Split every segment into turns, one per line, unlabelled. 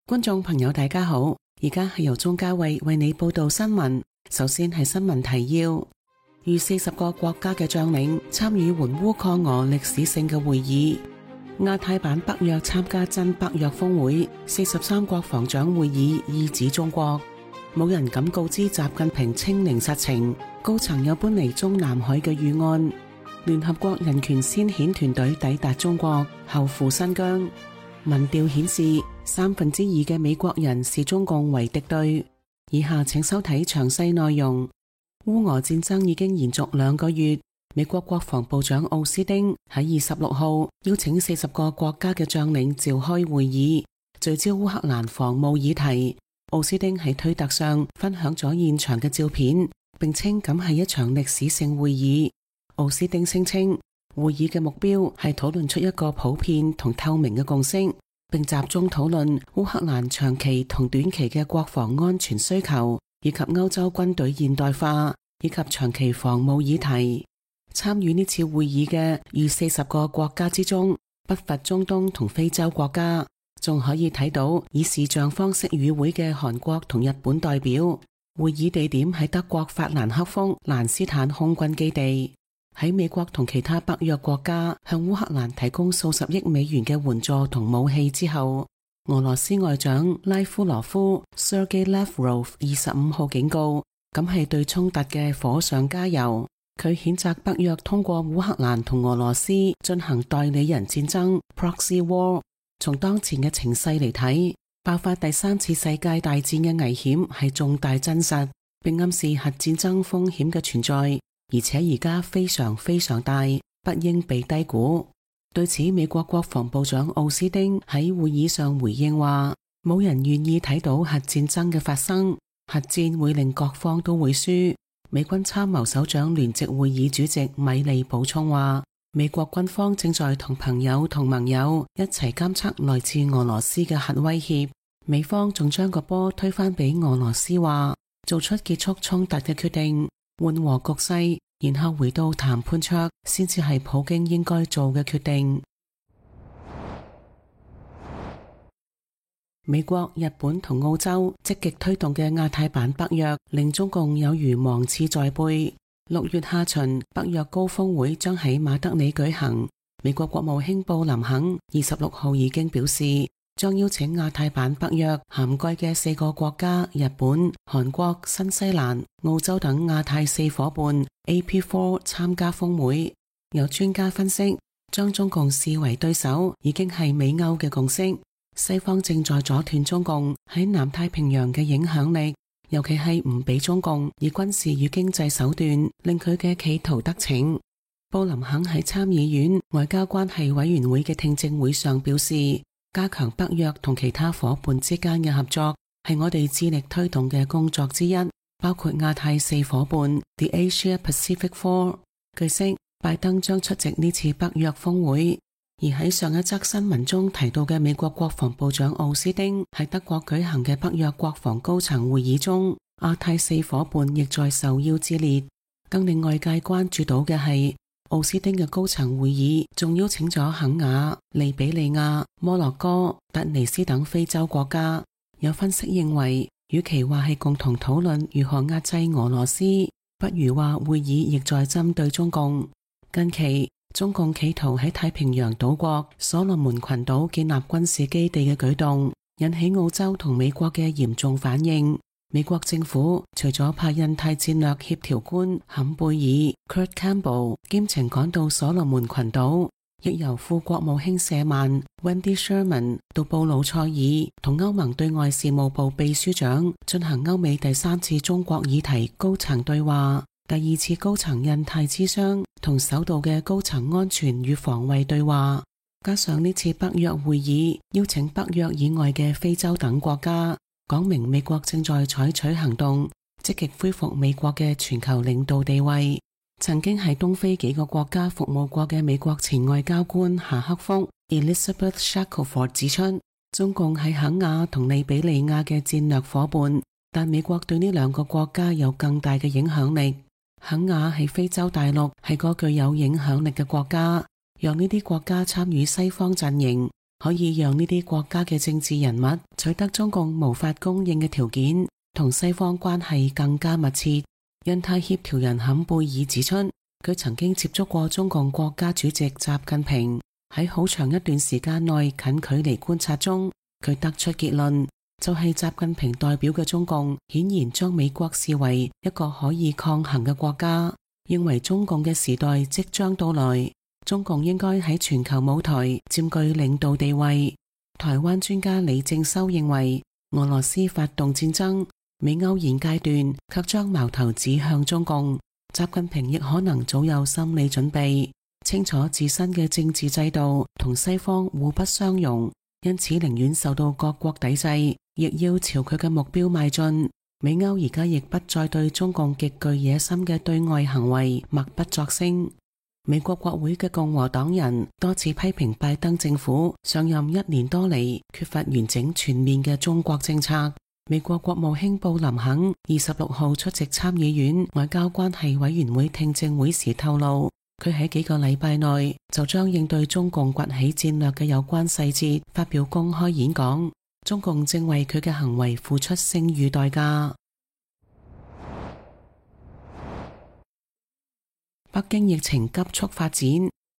觀眾朋友大家好，而家係由鍾嘉慧為你報道新聞。首先係新聞提要：逾40個國家嘅將領參與援烏抗俄歷史性嘅會議。亞太版北約參加真北約峰會，43國防長會議意指中國。冇人敢告知習近平清零實情，高層有搬離中南海嘅預案。聯合國人權先遣團隊抵達中國，後赴新疆。民調顯示2/3嘅美國人視中共為敵對。以下請收睇詳細內容。烏俄戰爭已經延續2個月，美國國防部長奧斯汀喺26號邀請40個國家嘅將領召開會議，聚焦烏克蘭防務議題。奧斯汀喺推特上分享咗現場嘅照片，並稱咁係一場歷史性會議。奧斯汀聲稱，會議嘅目標係討論出一個普遍同透明嘅共識，並集中討論烏克蘭長期同短期嘅國防安全需求，以及歐洲軍隊現代化以及長期防務議題。參與呢次會議嘅逾40個國家之中，不乏中東同非洲國家，仲可以睇到以視像方式與會嘅韓國同日本代表。會議地點喺德國法蘭克福蘭斯坦空軍基地。喺美國同其他北約國家向烏克蘭提供數十億美元嘅援助同武器之後，俄羅斯外長拉夫羅夫 Sergei Lavrov 25號警告，咁係對衝突嘅火上加油。佢譴責北約通過烏克蘭同俄羅斯進行代理人戰爭 Proxy War。從當前嘅情勢嚟睇，爆發第3次世界大戰嘅危險係重大真實，並暗示核戰爭風險嘅存在。而且而家非常非常大，不應被低估。對此，美國國防部長奧斯汀喺會議上回應話，冇人願意睇到核戰爭嘅發生，核戰會令各方都會輸。美軍參謀首長聯席會議主席米利補充話，美國軍方正在同朋友同盟友一齊監測來自俄羅斯嘅核威脅。美方仲將個波推返俾俄羅斯話，做出結束衝突嘅決定，緩和局勢，然後回到談判桌，先至係普京應該做嘅決定。美國、日本同澳洲積極推動嘅亞太版北約，令中共有如芒刺在背。6月下旬，北約高峰會將喺馬德里舉行。美國國務卿布林肯26號已經表示，將邀請亞太版北約涵蓋嘅4個國家日本、韓國、新西蘭、澳洲等亞太4夥伴 AP4 參加峰會。有專家分析，將中共視為對手已經係美歐嘅共識。西方正在阻斷中共喺南太平洋嘅影響力，尤其係唔俾中共以軍事與經濟手段令佢嘅企圖得逞。布林肯喺參議院外交關係委員會嘅聽證會上表示，加強北約同其他夥伴之間嘅合作係我哋致力推動嘅工作之一，包括亞太4夥伴 The Asia Pacific Four。據悉，拜登將出席呢次北約峰會。而喺上一則新聞中提到嘅美國國防部長奧斯汀喺德國舉行嘅北約國防高層會議中，亞太4夥伴亦在受邀之列。更令外界關注到嘅係，奧斯汀嘅高層會議仲邀請咗肯亞、利比里亞、摩洛哥、突尼斯等非洲國家。有分析認為，與其話係共同討論如何壓制俄羅斯，不如話會議亦在針對中共。近期中共企圖喺太平洋島國所羅門群島建立軍事基地嘅舉動，引起澳洲同美國嘅嚴重反應。美國政府除咗派印太戰略協調官坎貝爾 Kurt Campbell 兼程趕到所羅門群島，亦由副國務卿舍曼 Wendy Sherman 到布魯塞爾同歐盟對外事務部秘書長進行歐美第3次中國議題高層對話，第2次高層印太諮商同首度嘅高層安全與防衛對話。加上呢次北約會議邀請北約以外嘅非洲等國家，講明美國正在採取行動，積極恢復美國嘅全球領導地位。曾經喺東非幾個國家服務過嘅美國前外交官夏克福 Elizabeth Shackelford 指出，中共係肯亞同利比里亞嘅戰略夥伴，但美國對呢2個國家有更大嘅影響力。肯亞喺非洲大陸係個具有影響力嘅國家，讓呢啲國家參與西方陣營，可以讓呢啲國家嘅政治人物取得中共無法供應嘅條件，同西方關係更加密切。印太協調人坎貝爾指出，佢曾經接觸過中共國家主席習近平，喺好長一段時間內近距離觀察中，佢得出結論，就係習近平代表嘅中共顯然將美國視為一個可以抗衡嘅國家，認為中共嘅時代即將到來，中共應該喺全球舞台佔據領導地位。台灣專家李正修認為，俄羅斯發動戰爭，美歐現階段卻將矛頭指向中共，習近平亦可能早有心理準備，清楚自身嘅政治制度同西方互不相容，因此寧願受到各國抵制，亦要朝佢嘅目標邁進。美歐而家亦不再對中共極具野心嘅對外行為默不作聲。美國國會嘅共和黨人多次批評拜登政府上任1年多嚟缺乏完整全面嘅中國政策。美國國務卿布林肯26號出席參議院外交關係委員會聽證會時透露，佢喺幾個禮拜內就將應對中共崛起戰略嘅有關細節發表公開演講。中共正為佢嘅行為付出聲譽代價。北京疫情急速發展，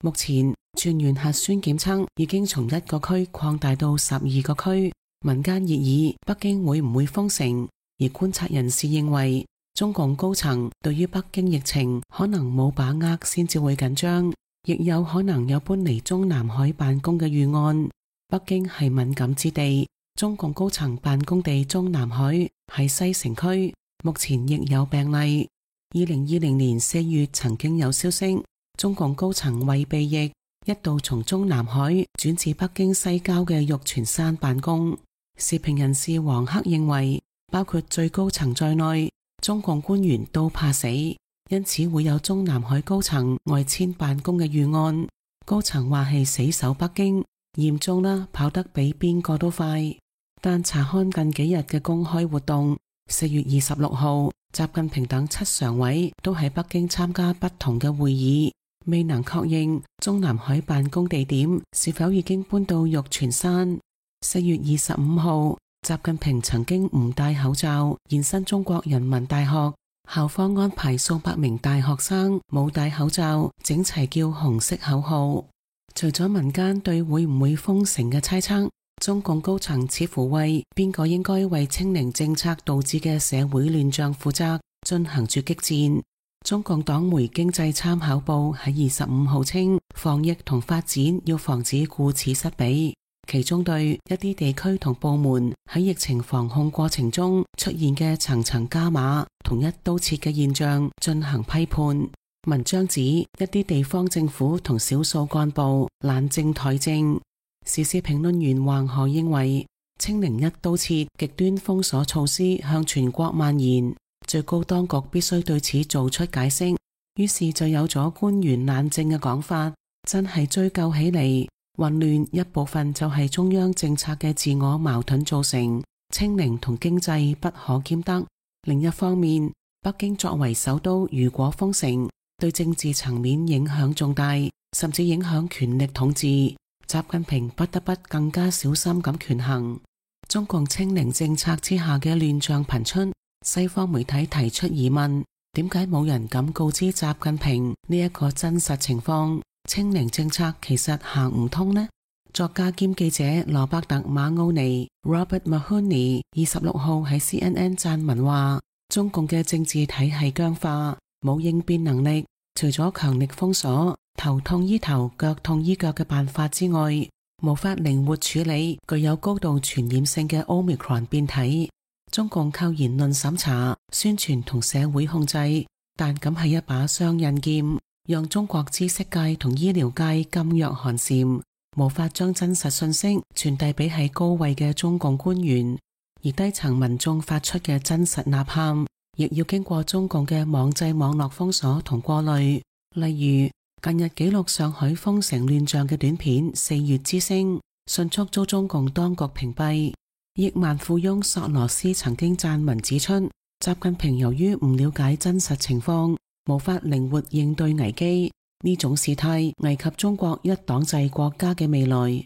目前全員核酸檢測已經從1個區擴大到12個區。民間熱議北京會唔會封城，而觀察人士認為中共高層對於北京疫情可能冇把握先至會緊張，亦有可能有搬離中南海辦公嘅預案。北京係敏感之地，中共高層辦公地中南海喺西城區，目前亦有病例。2020年4月曾經有消息，中共高層為避疫一度從中南海轉至北京西郊嘅玉泉山辦公。時評人士黃克認為，包括最高層在內，中共官員都怕死，因此會有中南海高層外遷辦公嘅預案。高層話係死守北京，嚴重啦，跑得比邊個都快。但查看近幾日嘅公開活動，4月26號，習近平等7常委都喺北京參加不同嘅會議，未能確認中南海辦公地點是否已經搬到玉泉山。4月25號，習近平曾經唔戴口罩現身中國人民大學，校方安排數百名大學生冇戴口罩，整齊叫紅色口號。除咗民間對會唔會封城嘅猜測，中共高層似乎為邊個應該為清零政策導致嘅社會亂象負責進行住激戰。中共黨媒經濟參考報喺25號稱，防疫同發展要防止顧此失彼，其中對一啲地區同部門喺疫情防控過程中出現嘅層層加碼同一刀切嘅現象進行批判。文章指一啲地方政府同少數幹部懶政怠政。時事評論員黃河認為，清零一刀切極端封鎖措施向全國蔓延，最高當局必須對此做出解釋。於是就有咗官員懶政嘅講法。真係追究起嚟，混亂一部分就係中央政策嘅自我矛盾造成，清零同經濟不可兼得。另一方面，北京作為首都，如果封城，對政治層面影響重大，甚至影響權力統治。習近平不得不更加小心咁權衡。中共清零政策之下嘅亂象頻出，西方媒體提出疑問：點解冇人敢告知習近平呢一個真實情況？清零政策其實行唔通呢？作家兼記者羅伯特馬奧尼 Robert Mahoney 26號喺 CNN 撰文話：中共嘅政治體系僵化，冇應變能力，除咗強力封鎖、頭痛醫頭、腳痛醫腳嘅辦法之外，無法靈活處理具有高度傳染性嘅 Omicron 變體。中共靠言論審查、宣傳同社會控制，但咁係一把雙刃劍，讓中國知識界同醫療界噤若寒蟬，無法將真實信息傳遞俾喺高位嘅中共官員，而低層民眾發出嘅真實吶喊，亦要經過中共嘅網際網絡封鎖同過濾。例如近日記錄上海封城亂象嘅短片《4月之聲》，迅速遭中共當局屏蔽。億萬富翁索羅斯曾經撰文指出，習近平由於唔了解真實情況，無法靈活應對危機，呢種事態危及中國一黨制國家嘅未來。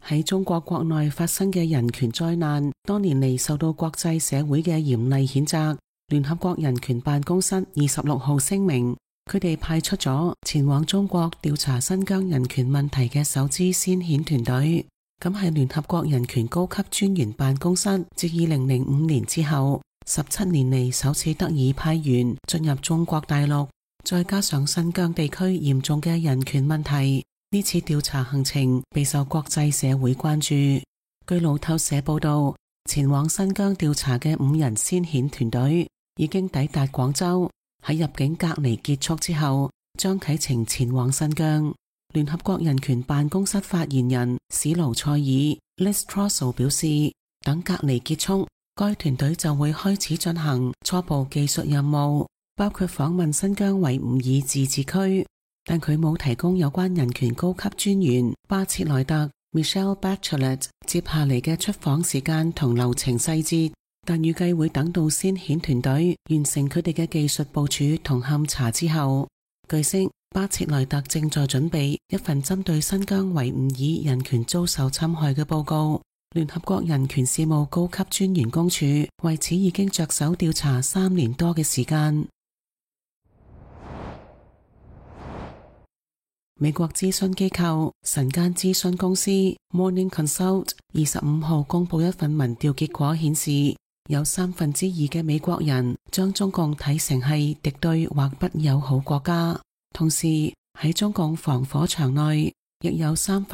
喺中國國內發生嘅人權災難，多年嚟受到國際社會嘅嚴厲譴責。聯合國人權辦公室26號聲明，佢哋派出咗前往中國調查新疆人權問題嘅首支先遣團隊。咁係聯合國人權高級專員辦公室自2005年之後17年嚟首次得以派員進入中國大陸，再加上新疆地區嚴重嘅人權問題，呢次調查行程備受國際社會關注。據路透社報道，前往新疆調查嘅5人先遣團隊已經抵達廣州，喺入境隔離結束之後，將啟程前往新疆。聯合國人權辦公室發言人史盧塞爾 Liz Throssell 表示，等隔離結束，該團隊就會開始進行初步技術任務，包括訪問新疆維吾爾自治區，但佢冇提供有關人權高級專員巴切萊特 Michelle Bachelet 接下嚟嘅出訪時間同流程細節，但預計會等到先遣團隊完成佢哋嘅技術部署同勘查之後。據悉，巴切萊特正在準備一份針對新疆維吾爾人權遭受侵害嘅報告。聯合國人權事務高級專員公署為此已經着手調查3年多嘅時間。美國諮詢機構晨間諮詢公司 Morning Consult 25號公布一份民調結果顯示，有2/3嘅美國人將中共睇成係敵對或不友好國家，同時喺中共防火牆內亦有2/3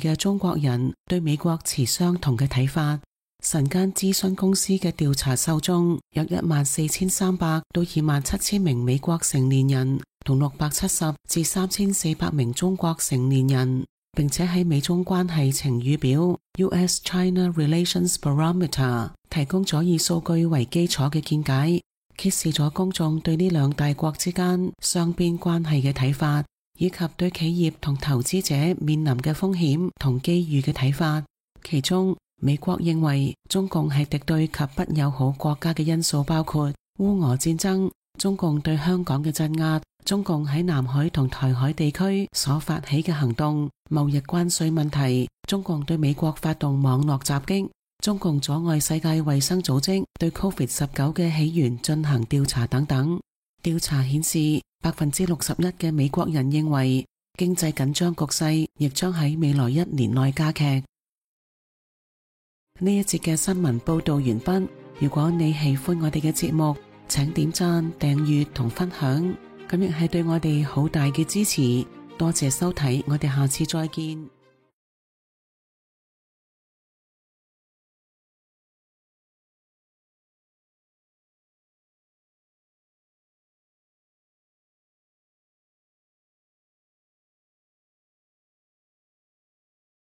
嘅中國人對美國持相同嘅睇法。晨間諮詢公司嘅調查受眾有14,300到27,000名美國成年人同670至3,400名中國成年人，並且喺美中關係晴雨表 US-China Relations Barometer 提供咗以數據為基礎嘅見解，揭示咗公眾對呢兩大國之間雙邊關係嘅睇法，以及對企業同投資者面臨嘅風險同機遇嘅睇法。其中，美國認為中共係敵對及不友好國家嘅因素包括烏俄戰爭、中共對香港嘅鎮壓、中共喺南海同台海地區所發起嘅行動、貿易關稅問題、中共對美國發動網絡襲擊、中共阻礙世界衛生組織對 COVID-19 嘅起源進行調查等等。調查顯示，61%嘅美國人認為經濟緊張局勢亦將喺未來1年內加劇。呢一節嘅新聞報道完畢。如果你喜歡我哋嘅節目，請點讚、訂閱同分享，咁亦係對我哋好大嘅支持。多謝收睇，我哋下次再見。